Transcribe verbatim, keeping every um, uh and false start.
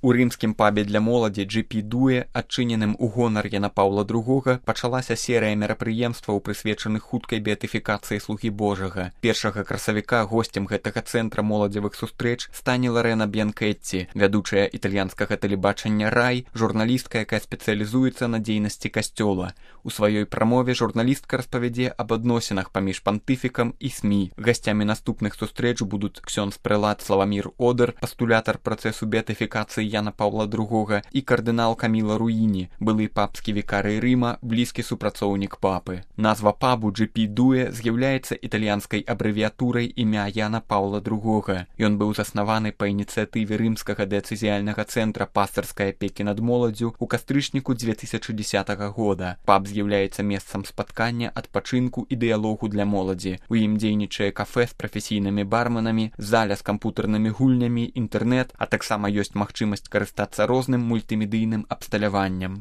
У рымскім пабе для моладзі джі пі Дуэ, адчыненым у гонар Яна Паўла другога, пачалася серыя мерапрыемстваў, прысвечаных хуткай беатыфікацыі слугі Божага. Першага красавіка госцем гэтага цэнтра моладзевых сустрэч стане Ларэна Б'янкетці, вядучая італьянскага тэлебачання «Рай», журналістка, якая спецыялізуецца на дзейнасці касцёла. У сваёй прамове журналістка распавядзе аб адносінах паміж пантыфікам і СМІ. Гасцямі наступных сустрэч будуць ксёндз прэлат Славамір Одар, пастулятар працэсу беатыфікацыі Яна Паўла другога, і кардынал Каміла Руіні, былы папскі вікарый Рыма, блізкі супрацоўнік папы. Назва пабу джі пі Дуэ з'яўляецца італьянскай абрэвіятурай імя Яна Паўла другога. Ён быў заснаваны па ініцыятыве рымскага дыяцэзіяльнага цэнтра пастырскай апекі над моладдзю ў кастрычніку дзве тысячы дзесятага года. Паб з'яўляецца месцам спаткання, адпачынку і дыялогу для моладзі. У ім дзейнічае кафэ з прафесійнымі барменамі, заля з кампутарнымі гульнямі, інтэрнэт, а таксама ёсць магчымасць карыстацца розным мультымедыйным абсталяваннем.